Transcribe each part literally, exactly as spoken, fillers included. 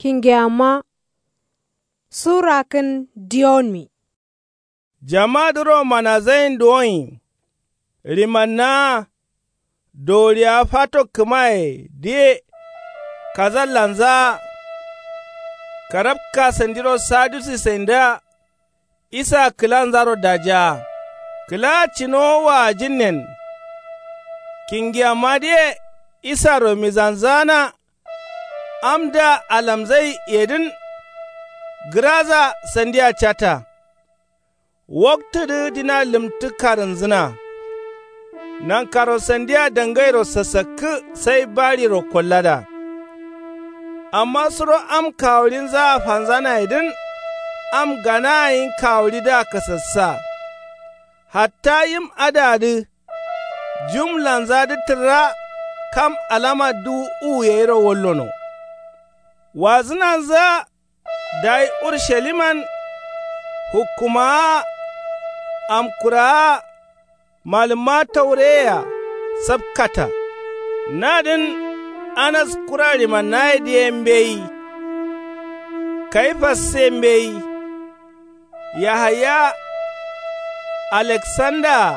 Kingeyamma su rakkǝn diyonmi. Jamadǝro manazain duwoin ɍimannaa doriyawa fato kǝmayedǝye kazallanzaa karabka sandiro sadusisaindǝa. Isa kǝlanzaro dajaa kǝla cinowo wajinnen. Kingiyammadǝye isaro mizanzaana. Amdǝa alamzai yedǝn gǝraza sandia cata. Waktudǝ dina lǝmtǝ karǝnzǝna. Nankaro sandia dangairo sasakkǝ sai bariro kollada. Amma suro am kawuɍinzaa fanzanayedǝn am ganaa yin kawuɍidǝa kasassa. Hatta yim adǝadǝ jumlanzadǝ tǝrra kam alama duwu uwu yairo wallono. Wazǝnanzǝa dayi urusaliman hukkumaa amkuraa malǝmma taureye-a sapkata. Nadǝn anas kura ɍimannayedǝ ye mbeyi. Kayifasse mbeyi. Yahaya aleksandaa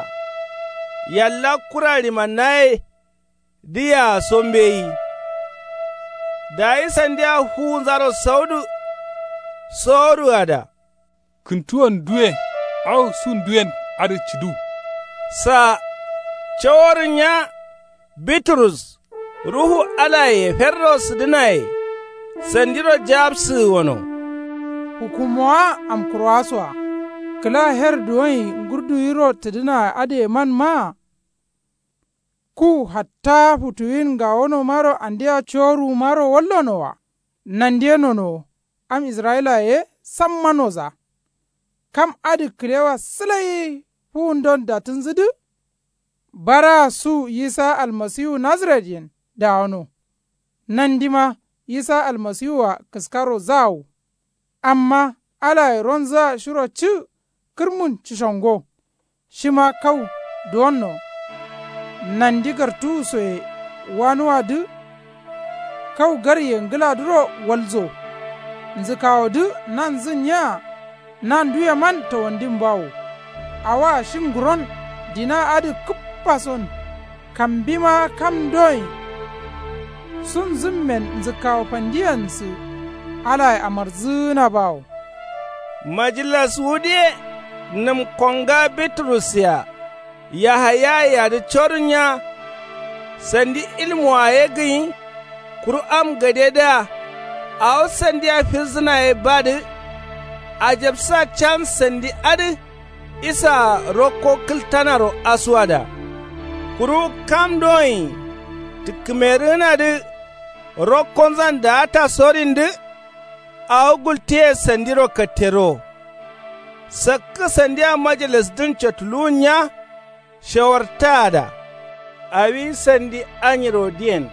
yalla kura ɍimannayedǝyea so mbeyi. Dayi sandia fuwunzaro saudu soworuada. Kǝntuwon duwe awo su nduwen adǝ cǝdu. Sa caworǝnya biturus ruhu alaye ferro sǝdǝnaye sandiro jabsǝgǝ gono. Hukkumowa amkurowasoa kǝla her duwonyi ngurduwiro tǝdǝna adǝyeman maa. Ku hatta futuwin ngawonomaro andia coruwumaro wallonowa. Nandiye nonowo am israyilaye ye samma noza. Kam adǝ kǝlewa sǝlai fuwundon dattǝnzǝdǝ. Baraa su yisa almasiwu nazaretyen dawono. Nandima yisa almasiwua kǝskaro zawo. Amma alaye ronzǝa shiro cǝ kǝrmun cǝshongo. Shima kau duwonno. Nandi gartuwusoye wanuwadǝ kau garye ngǝladǝro walzo. Nzǝkawodǝ nanzǝnniya nanduyeman tawandimbawo. Awoa shi nguron dina adǝ kǝppason. Kambima kam doin sunzǝmmen nzǝkkawo fandiyansǝ alaye amarzǝgǝnabawo. Majilaswudǝye nǝm konga biturus-a yahayayeyadǝ corǝnya. Sandi ilmuwa ye gǝnyi. Kuru am gadedǝa awo sandia firzǝna ye badǝ. Ajabsa can sandi adǝ isaa rokko kǝltanaro asuwada. Kuru kam doin tǝkkǝmerǝgǝnadǝ rokkonzan daata sorindǝ. Awo gultiye sandiro kattero. Sakkǝ sandia majalasdǝn cotuluwunnya. Shawartaada awi sandi anyirodǝyen.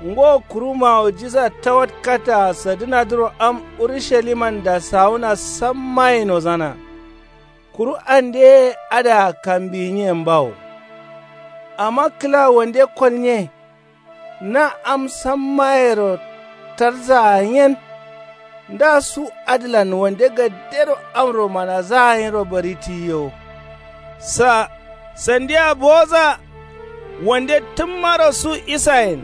Ngo kuru mawujiza tawatkataa sadǝnadǝro am urushalimanda sawuna sammaye nozana. Kuru andeye adǝa kambiyinyen bawo. Amma kǝla wande kolnye. Na am sammayero tarzaa nyen. Nda su adǝlan wande gadero amro manazaa nyiro bari tiyiyo. Sa sandia bowoza wande tǝmmaro su isayen.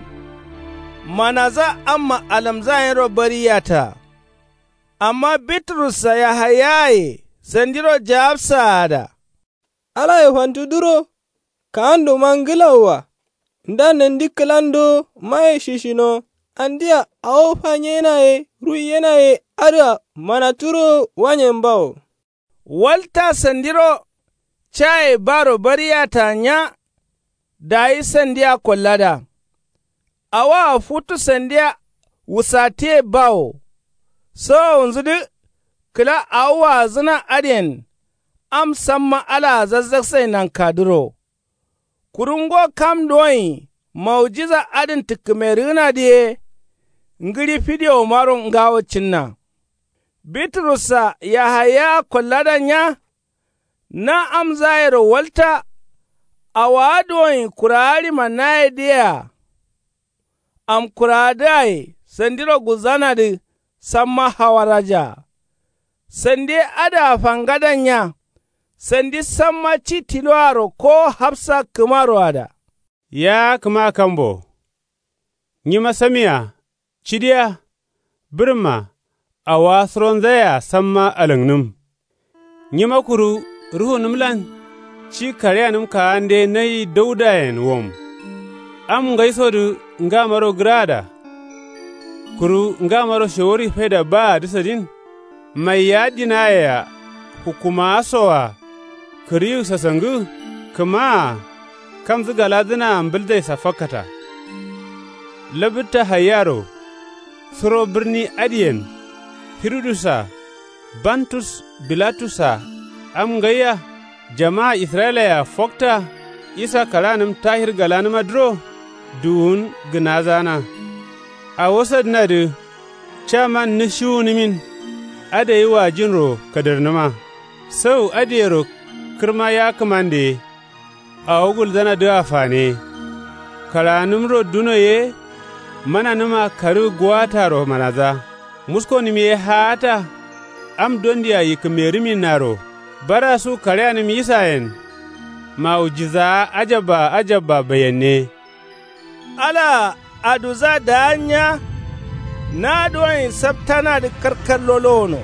Manaza amma alamzaa nyiro bari yataa. Amma biturussa yahayaye sandiro jaabsaada. Alaye fantuduro kaanduma ngǝlauwa. Nda nandi kǝlando maye shishino andia awo fanyenaye ruiyenaye adǝa manaturo wanyen bawo. Walta sandiro caye baro bari yatanya. Dayi sandia kollada. Awoa futu sandia wusatǝye bawo. Sowowunzǝdǝ kǝla awo waazǝna adǝyen. Am samma alaa zazzaksai nankadǝro. Kuru ngo kam doin maujiza adǝn tǝkkǝmerǝgǝnadǝ ye. Ngǝɍi fidewomaro ngawo cǝnna. Biturussa yahayaa kolladanya. Na amzayero walta. Awaa duwoin kuraa ɍimannayedǝyea. Amkuraadǝaye Sandiro gulzanadǝ samma hawarajaa. Sandi ye adǝa fangadanya. Sandi samma ci tiloaro ko hafsa kǝmaroada. Ya kǝma kambo. Nyima samia cidiya. Bǝrǝmma awowa suronzayea samma alaknǝm. Nyima kuru ruhunǝmlan ci kaɍeyanǝm kaande nayi daudayen wom. Am ngaisodǝ ngamaro gǝraada. Kuru ngamaro shawari faida baadǝ sadin. Maiya dinayea hukumawasoa kǝriwu sasangǝ. Kǝmaa kamzǝ galadǝnaa mbǝldaisa fakkata. Labǝtta haiyaro suro bǝrni adǝyen hirudusa bantus bilatusa am ngaiya. Jamaa israyilayea fokta isa karaanǝm tahir galanǝmadǝro duwun gǝnazana. Awo sadǝnadǝ caman nǝshiwunǝmin adai wajinro kadarnǝma. Sau adǝyero kǝrma ya kǝmande ye. Awo gulzanadǝa fane. Karaanǝmro duno ye. Mananǝma karǝ guwataro manadza. Muskonǝm ye haata. Am dondia yikkǝmerǝminnaro barasu kaɍeyanǝm isayen. Mawujizaa ajabba ajabba baiyenne. Alaa aduzza daa nya. Nadǝ wanye saptanadǝ karkar lolowono.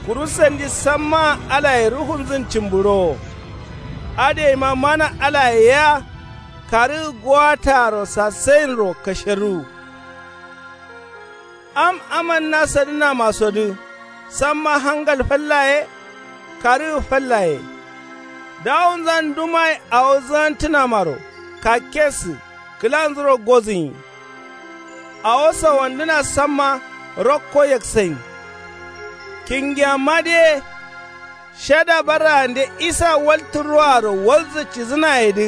Kuru sandi sammaa alaye ruhunzǝn cǝmbǝrowo. Adǝyeima mana alaye ya. Karǝgǝ gowataro sasayinro kasheruwu. Am aman nasadǝnamasodǝ samma hangal falla ye. Karǝgǝ falla ye. Dawunzan dumayi awo zǝgantǝnamaro kakkesǝ kǝlanzuro gozǝnyi. Awo sawandǝna samma rakko yaksayin. Kingiyammadǝ ye. Shada barraande isa waltǝ ruwaro walzǝ cidǝnayedǝ.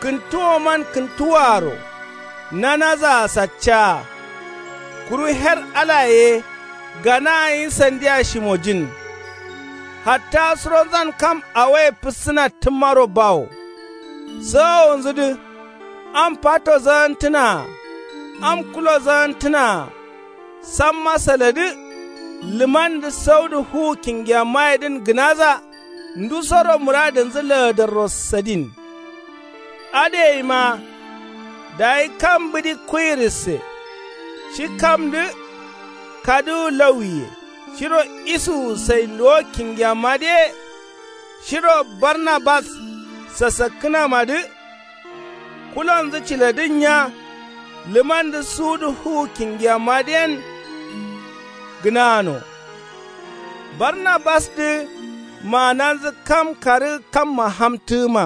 Kǝntuwoman kǝntuwoaro nanazaa saccaa. Kuru her alaye ye. Ganaa nyi sandia shimojin. Hatta suronzan kam awoye fǝssǝna tǝmmaro bawo. Sawowunzudǝ am fato zagantǝnaa. Am kulo zagantǝnaa. Samma saladǝ. Lǝmandǝ saudǝ fuwu kingiyammayedǝn gǝnaza. Ndusoro mǝradǝnzǝ lagadarro sadin. Adǝyeima dayi kam bǝdi kuwirisse. Shi kamdǝ kadǝwu lauwiye. Shiro isuwu sai luwo kingiyammadǝ ye. Shiro barnabas sasakkǝnamadǝ. Kulonzǝ ciladǝn nya. Lǝmandǝ suwudǝ fuwu kingiyammadǝ yen. Gǝnano. Barnabasdǝ maananzǝ kam karǝgǝ kamma hamtǝgǝma.